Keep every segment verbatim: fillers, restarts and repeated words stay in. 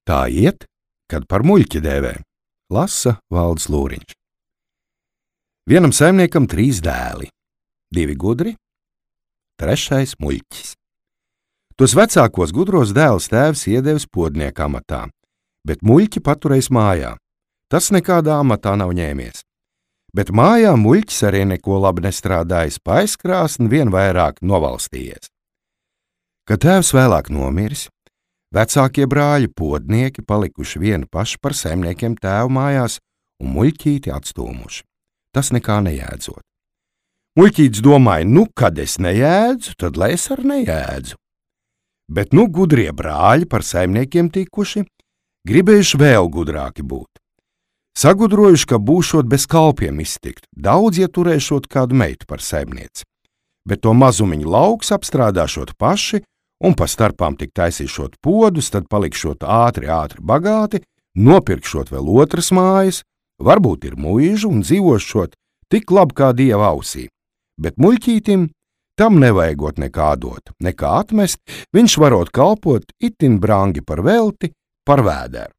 Tā iet, kad par muļķi dēvē, lasa Valdis Lūriņš. Vienam saimniekam trīs dēli, divi gudri, trešais muļķis. Tos vecākos gudros dēlus tēvs iedevis podnieka amatā, bet muļķi paturējis mājā. Tas nekādā amatā nav ņēmies. Bet mājā muļķis arī neko labi nestrādājis, paiskrāsni vien vairāk novalstījies. Kad tēvs vēlāk nomiris, vecākie brāļi podnieki palikuši vieni paši par saimniekiem tēvu mājās un muļķīti atstūmuši. Tas nekā nejēdzot. Muļķītis domāja, nu, kad es nejēdzu, tad lai es ar nejēdzu. Bet nu gudrie brāļi par saimniekiem tikuši, gribējuši vēl gudrāki būt. Sagudrojuši, ka būšot bez kalpiem iztikt, daudz ieturēšot kādu meitu par saimnieci, bet to mazumiņu lauks apstrādāšot paši un pa starpām tik taisīšot podus, tad palikšot ātri, ātri bagāti, nopirkšot vēl otras mājas, varbūt ir muīžu un dzīvošot tik labi kā dieva ausī, bet muļķītim tam nevajagot nekā dot, nekā atmest, viņš varot kalpot itin brangi par velti, par vēderu.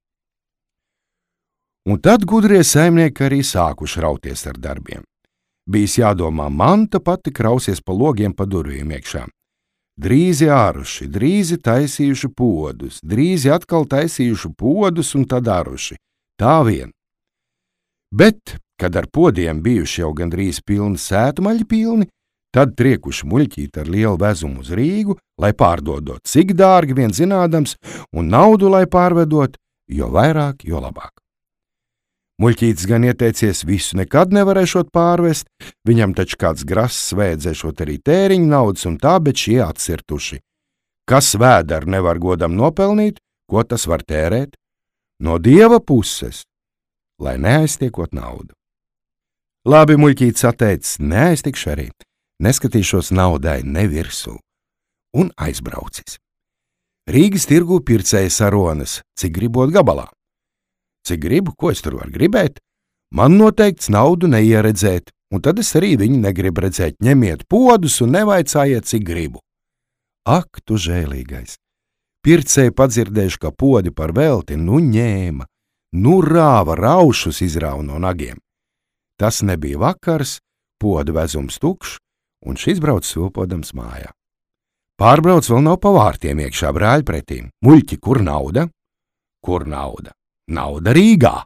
Un tad gudrie saimnieki arī sākuši rauties ar darbiem. Bijis jādomā, manta pati krausies pa logiem pa durvīm iekšā. Drīzi āruši, drīzi taisījuši podus, drīzi atkal taisījuši podus un tad āruši. Tā vien. Bet, kad ar podiem bijuši jau gandrīz pilni sētmaļi pilni, tad triekuši muļķīt ar lielu vezumu uz Rīgu, lai pārdodot cik dārgi vien zinādams, un naudu, lai pārvedot, jo vairāk, jo labāk. Muļķītis gan ieteicies visu nekad nevarēšot pārvest, viņam taču kāds grass vēdzēšot arī tēriņu naudas un tā, bet šie atsirtuši. Kas vēderu nevar godam nopelnīt, ko tas var tērēt? No dieva puses, lai neaiztiekot naudu. Labi, muļķītis atteicis, neaiztikšu arī, neskatīšos naudai ne virsū, un aizbraucis. Rīgas tirgū pircēja saronas, cik gribot gabalā. Cik gribu, ko es tur varu gribēt? Man noteikts naudu neieredzēt, un tad es arī viņu negribu redzēt. Ņemiet podus un nevaicājiet, cik gribu. Ak, tu žēlīgais! Pircēji padzirdējuši, ka podi par velti, nu ņēma, nu rāva, raušus izrāva no nagiem. Tas nebija vakars, poda vezums tukšs, un šis brauc svilpodams mājā. Pārbrauc vēl nav pa vārtiem iekšā brāļi pretīm. Muļķi, kur nauda? Kur nauda? Nauda Rīgā.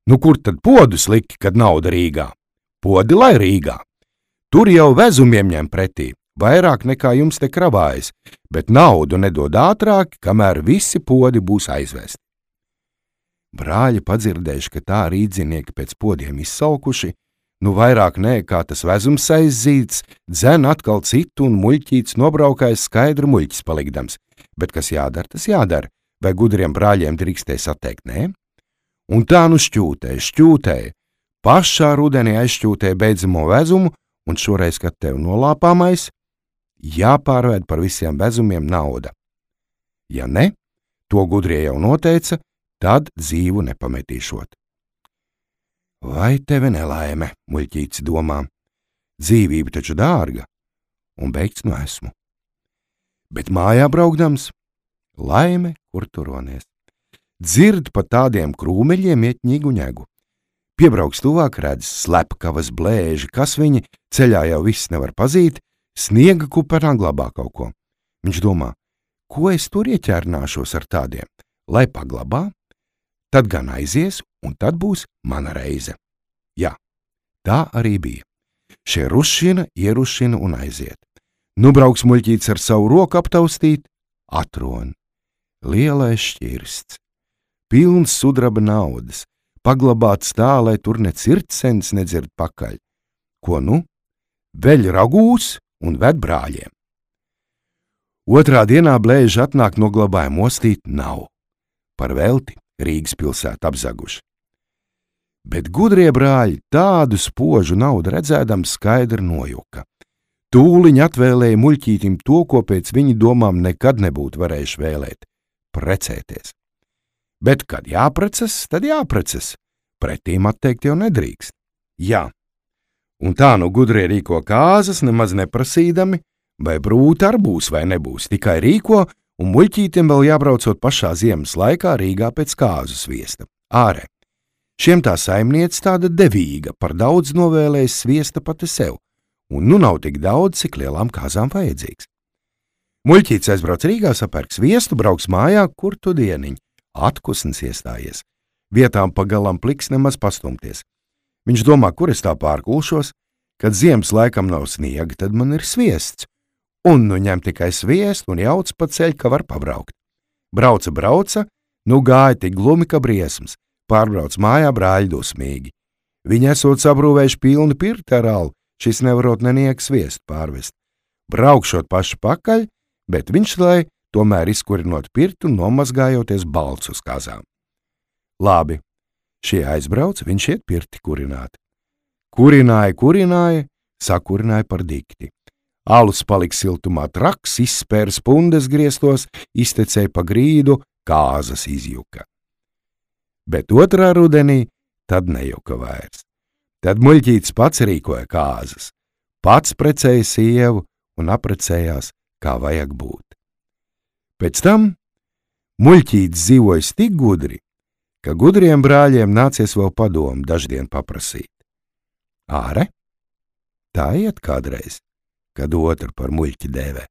Nu, kur tad podus liki, kad nauda Rīgā? Podi lai Rīgā. Tur jau vezumiem ņem pretī, vairāk nekā jums te kravājas, bet naudu nedod ātrāk, kamēr visi podi būs aizvesti. Brāļi padzirdējuši, ka tā rīdzinieki pēc podiem izsalkuši, nu vairāk nē, kā tas vezums aizzīts, dzen atkal citu un muļķīts nobraukājis skaidru muļķis palikdams, bet kas jādara, tas jādara. Vai gudriem brāļiem drīkstēja sateikt, nē? Un tā nu šķūtēja, šķūtēja, pašā rudenī aizšķūtēja beidzamo vezumu, un šoreiz, kad tev nolāpāmais, jāpārvēd par visiem vezumiem nauda. Ja ne, to gudrie jau noteica, tad dzīvu nepametīšot. Vai tevi nelaime, muļķītis domā, dzīvība taču dārga, un beigts nu esmu. Bet mājā braukdams, laime, kur turonies. Dzird pa tādiem krūmeļiem iet ņigu ņegu. Piebrauks tuvāk, redz slepkavas blēži, kas viņi ceļā jau viss nevar pazīt, sniega kupenā glabā kaut ko. Viņš domā, ko es tur ieķērnāšos ar tādiem, lai paglabā, tad gan aizies, un tad būs mana reize. Jā, tā arī bija. Šie rušina, ierušina un aiziet. Nu brauks muļķīts ar savu roku aptaustīt, atron. Lielais šķirsts, pilns sudraba naudas, paglabāts tā, lai tur ne cirtsens nedzird pakaļ. Ko nu? Veļ ragūs un ved brāļiem. Otrā dienā blēži atnāk no glabājuma ostīt nav. Par velti Rīgas pilsētu apzaguši. Bet gudrie brāļi tādu spožu naudu redzēdam skaidri nojuka. Tūliņ atvēlēja muļķītim to, ko pēc viņa domām nekad nebūtu varējuši vēlēt. Precēties. Bet, kad jāprecas, tad jāprecas. Pretīm atteikt jau nedrīkst. Jā. Un tā nu gudrie rīko kāzas, nemaz neprasīdami, vai brūta ar būs vai nebūs, tikai rīko un muļķītim vēl jābraucot pašā ziemas laikā Rīgā pēc kāzu sviesta. Ārē. Šiem tā saimniece tāda devīga, par daudz novēlējis sviesta pati sev, un nu nav tik daudz, cik lielām kāzām vajadzīgs. Muļķītis aizbrauc Rīgā, sapērk sviestu, brauks mājā, kur tu dieniņ. Atkusnis iestājies. Vietām pagalam pliks nemaz pastumties. Viņš domā, kur es tā pārkulšos, kad ziemas laikam nav sniega, tad man ir sviests. Un nu ņem tikai sviestu un jauc pa ceļu, ka var pabraukt. Brauca, brauca, nu gāja tik glumi, ka briesmas. Pārbrauc mājā brāļi dusmīgi. Viņi esot sabrūvējuši pilni pirti ar alu, šis nevarot neniek sviestu pārvest. Braukšot paši pakaļ, bet viņš lai tomēr izkurinot pirti un nomazgājoties balts uz kazām. Labi, šie aizbrauc, viņš iet pirti kurināt. Kurināja, kurināja, sakurināja par dikti. Alus palika siltumā traks, izspēra spundes griestos, iztecēja pa grīdu, kāzas izjuka. Bet otrā rudenī tad nejuka vairs. Tad muļķītis pats rīkoja kāzas, pats precēja sievu un aprecējās, kā vajag būt. Pēc tam muļķītis dzīvojas tik gudri, ka gudriem brāļiem nācies vēl padomu daždien paprasīt. Āre? Tā iet kādreiz, kad otru par muļķi dēvē.